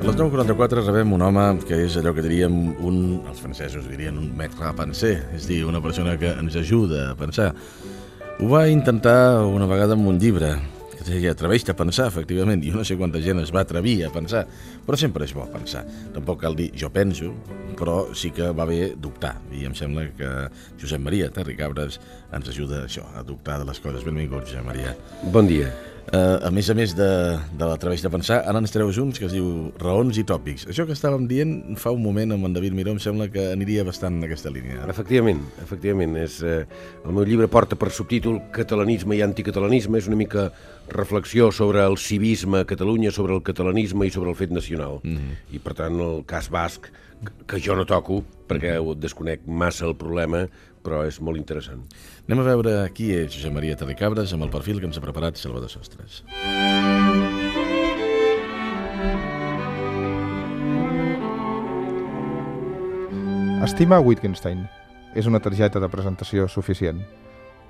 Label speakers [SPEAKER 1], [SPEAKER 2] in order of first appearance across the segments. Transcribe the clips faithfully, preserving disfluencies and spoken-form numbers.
[SPEAKER 1] A les nou quaranta-quatre rebem un home que és allò que diríem un, els francesos dirien un maître à penser, és a dir, una persona que ens ajuda a pensar. Ho va intentar una vegada amb un llibre, que deia atreveix-te a pensar, efectivament, i no sé quanta gent es va atrevir a pensar, però sempre és bo pensar. Tampoc cal dir jo penso, però sí que va bé dubtar, i em sembla que Josep Maria Terricabras ens ajuda a això, a dubtar de les coses. Benvingut, Josep Maria.
[SPEAKER 2] Bon dia.
[SPEAKER 1] Uh, a més a més de, de l'atreveix de pensar, ara ens treus uns que es diu raons i tòpics. Això que estàvem dient fa un moment amb en David Miró em sembla que aniria bastant en aquesta línia.
[SPEAKER 2] Efectivament, efectivament. És, eh, el meu llibre porta per subtítol Catalanisme i anticatalanisme. És una mica reflexió sobre el civisme a Catalunya, sobre el catalanisme i sobre el fet nacional. Mm-hmm. I per tant el cas basc, que jo no toco, perquè ho desconec massa el problema, però és molt interessant.
[SPEAKER 1] Anem a veure qui és Josep Maria Terricabras amb el perfil que ens ha preparat Salvador Sostres.
[SPEAKER 3] Estima Wittgenstein. És una targeta de presentació suficient.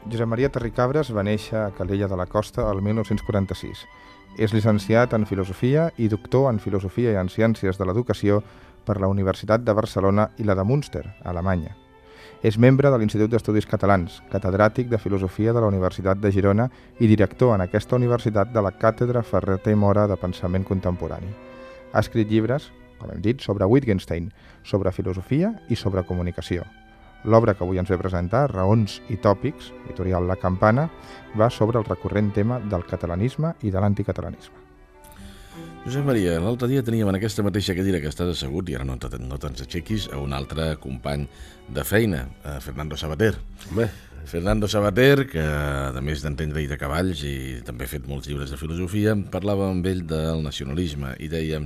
[SPEAKER 3] Josep Maria Terricabras va néixer a Calella de la Costa el mil nou-cents quaranta-sis. És llicenciat en Filosofia i doctor en Filosofia i en Ciències de l'Educació per la Universitat de Barcelona i la de Münster, a Alemanya. És membre de l'Institut d'Estudis Catalans, catedràtic de Filosofia de la Universitat de Girona i director en aquesta universitat de la Càtedra Ferrater Mora de Pensament Contemporani. Ha escrit llibres, com hem dit, sobre Wittgenstein, sobre filosofia i sobre comunicació. L'obra que avui ens ve a presentar, Raons i tòpics, editorial La Campana, va sobre el recurrent tema del catalanisme i de l'anticatalanisme.
[SPEAKER 1] Josep Maria, l'altre dia teníem en aquesta mateixa cadira que estàs assegut, i ara no, no te'ns aixequis, a un altre company de feina, a Fernando Savater.
[SPEAKER 2] Bé.
[SPEAKER 1] Fernando Savater, que a més d'entendre i de cavalls i també ha fet molts llibres de filosofia, parlava amb ell del nacionalisme i deia: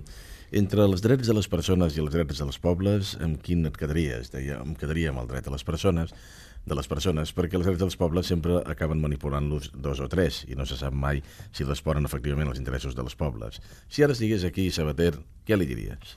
[SPEAKER 1] entre els drets de les persones i els drets dels pobles, amb quin et quedaries? Deia, em quedaria amb el dret de les persones, de les persones, perquè els drets dels pobles sempre acaben manipulant-los dos o tres i no se sap mai si responen efectivament als interessos dels pobles. Si ara estigués aquí, Savater, què li diries?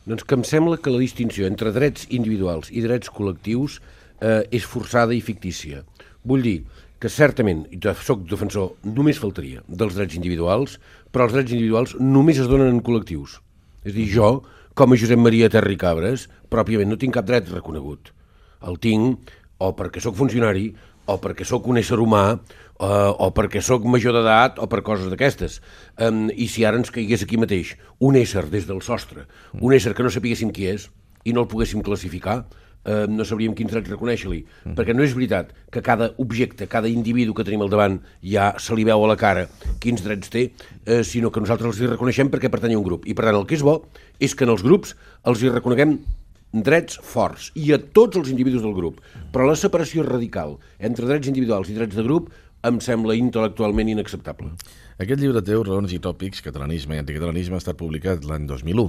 [SPEAKER 2] Doncs que em sembla que la distinció entre drets individuals i drets col·lectius eh, és forçada i fictícia. Vull dir que certament, i soc defensor, només faltaria dels drets individuals, però els drets individuals només es donen en col·lectius. És a dir, jo, com a Josep Maria Terricabras, pròpiament no tinc cap dret reconegut. El tinc o perquè sóc funcionari, o perquè sóc un ésser humà, eh, o perquè sóc major d'edat, o per coses d'aquestes. Um, I si ara ens caigués aquí mateix un ésser des del sostre, un ésser que no sapiguéssim qui és, i no el poguéssim classificar, eh, no sabríem quins drets reconèixer-li. Mm. Perquè no és veritat que cada objecte, cada individu que tenim al davant ja se li veu a la cara quins drets té, eh, sinó que nosaltres els hi reconeixem perquè pertany a un grup. I per tant el que és bo és que en els grups els hi reconeguem drets forts, i a tots els individus del grup. Però la separació radical entre drets individuals i drets de grup em sembla intel·lectualment inacceptable.
[SPEAKER 1] Aquest llibre teu, Raons i tòpics, catalanisme i anticatalanisme, ha estat publicat l'any dos mil u.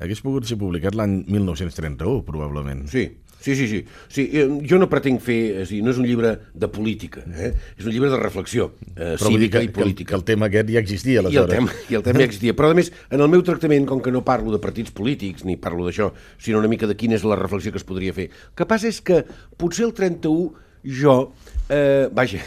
[SPEAKER 1] Hagués pogut ser publicat l'any mil nou-cents trenta-u, probablement.
[SPEAKER 2] Sí, sí, sí. sí. sí jo no pretenc fer... És dir, no és un llibre de política, eh? És un llibre de reflexió eh, cívica
[SPEAKER 1] que,
[SPEAKER 2] i política.
[SPEAKER 1] Que, que el tema aquest ja existia, aleshores.
[SPEAKER 2] I el tema, i el tema ja existia. Però, a més, en el meu tractament, com que no parlo de partits polítics, ni parlo d'això, sinó una mica de quina és la reflexió que es podria fer. El que passa és que potser el trenta-u jo... Eh, vaja,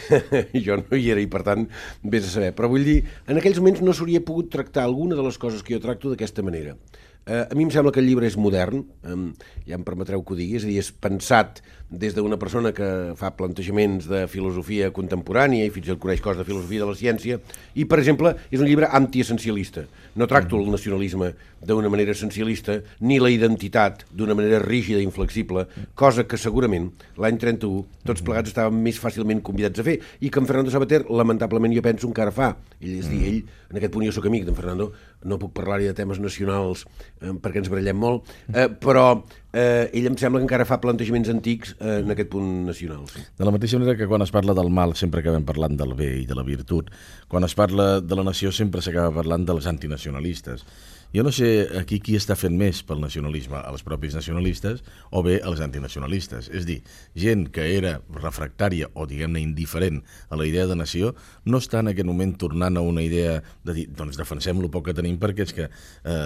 [SPEAKER 2] jo no hi era i, per tant, vés a saber. Però vull dir, en aquells moments no s'hauria pogut tractar alguna de les coses que jo tracto d'aquesta manera. Uh, a mi em sembla que el llibre és modern, um, ja em permetreu que ho digui, és a dir, és pensat des d'una persona que fa plantejaments de filosofia contemporània i fins i tot coneix coses de filosofia de la ciència, i, per exemple, és un llibre antiessencialista. No tracto el nacionalisme d'una manera essencialista, ni la identitat d'una manera rígida i inflexible, cosa que segurament l'any trenta-u tots plegats estàvem més fàcilment convidats a fer, i que en Fernando Savater, lamentablement, jo penso encara fa. Ell, és dir, ell, en aquest punt jo sóc amic d'en Fernando, no puc parlar-hi de temes nacionals eh, perquè ens barallem molt, eh, però eh, ell em sembla que encara fa plantejaments antics eh, en aquest punt nacional. Sí.
[SPEAKER 1] De la mateixa manera que quan es parla del mal sempre acabem parlant del bé i de la virtut, quan es parla de la nació sempre s'acaba parlant dels antinacionalistes. Jo no sé aquí qui està fent més pel nacionalisme, els propis nacionalistes o bé els antinacionalistes. És dir, gent que era refractària o, diguem-ne, indiferent a la idea de nació, no està en aquest moment tornant a una idea de dir, doncs defensem el poc que tenim perquè és que eh,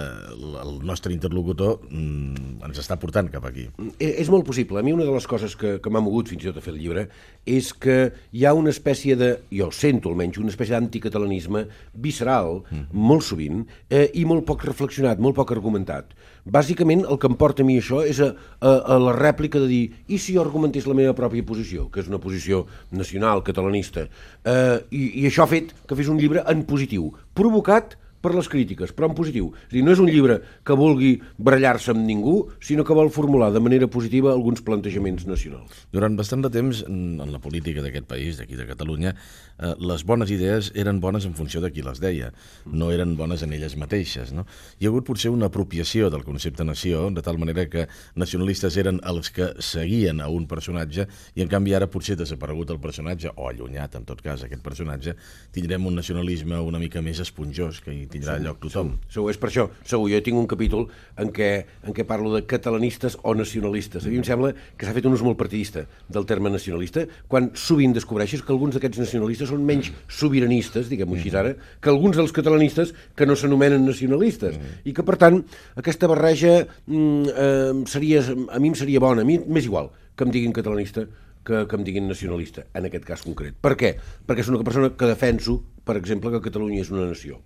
[SPEAKER 1] el nostre interlocutor mm, ens està portant cap aquí.
[SPEAKER 2] És molt possible. A mi una de les coses que, que m'ha mogut fins i tot a fer el llibre és que hi ha una espècie de, jo sento almenys, una espècie d'anticatalanisme visceral, mm. molt sovint, eh, i molt poc reflectiu reflexionat, molt poc argumentat. Bàsicament, el que em porta a mi això és a, a, a la rèplica de dir i si jo argumentés la meva pròpia posició, que és una posició nacional, catalanista, eh, i, i això ha fet que fes un llibre en positiu, provocat per les crítiques, però en positiu. És a dir, no és un llibre que vulgui barallar-se amb ningú, sinó que vol formular de manera positiva alguns plantejaments nacionals.
[SPEAKER 1] Durant bastant de temps, en la política d'aquest país, d'aquí de Catalunya, eh, les bones idees eren bones en funció de qui les deia, no eren bones en elles mateixes. No? Hi ha hagut potser una apropiació del concepte nació, de tal manera que nacionalistes eren els que seguien a un personatge i en canvi ara potser desaparegut el personatge, o allunyat en tot cas aquest personatge, tindrem un nacionalisme una mica més esponjós que hi tindrà lloc tothom.
[SPEAKER 2] Segur, segur, és per això. Segur, jo tinc un capítol en què, en què parlo de catalanistes o nacionalistes. A mi em sembla que s'ha fet un ús molt partidista del terme nacionalista, quan sovint descobreixes que alguns d'aquests nacionalistes són menys sobiranistes, diguem-ho així ara, que alguns dels catalanistes que no s'anomenen nacionalistes. I que, per tant, aquesta barreja mm, eh, seria, a mi em seria bona. A mi m'és igual que em diguin catalanista que, que em diguin nacionalista, en aquest cas concret. Per què? Perquè és una persona que defenso, per exemple, que Catalunya és una nació.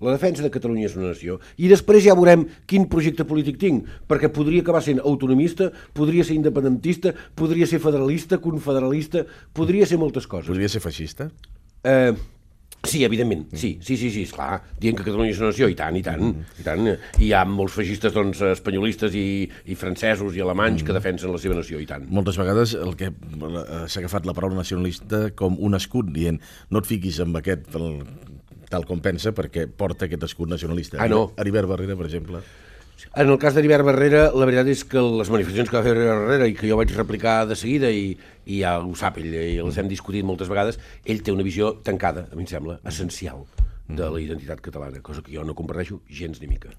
[SPEAKER 2] La defensa de Catalunya és una nació. I després ja veurem quin projecte polític tinc, perquè podria acabar sent autonomista, podria ser independentista, podria ser federalista, confederalista, podria ser moltes coses.
[SPEAKER 1] Podria ser feixista?
[SPEAKER 2] Eh... Sí, evidentment, sí, sí, sí, sí, esclar, dient que Catalunya és una nació, i tant, i tant, i tant. Hi ha molts feixistes, doncs, espanyolistes i, i francesos i alemanys que defensen la seva nació, i tant.
[SPEAKER 1] Moltes vegades el que s'ha agafat la paraula nacionalista com un escut, dient no et fiquis amb aquest tal com pensa perquè porta aquest escut nacionalista.
[SPEAKER 2] Ah, no.
[SPEAKER 1] Heribert Barrera, per exemple.
[SPEAKER 2] En el cas d'Heribert Barrera, la veritat és que les manifestacions que va fer Heribert Barrera i que jo vaig replicar de seguida, i, i ja ho sap ell, i les hem discutit moltes vegades, ell té una visió tancada, a mi em sembla, essencial de la identitat catalana, cosa que jo no comparteixo gens ni mica.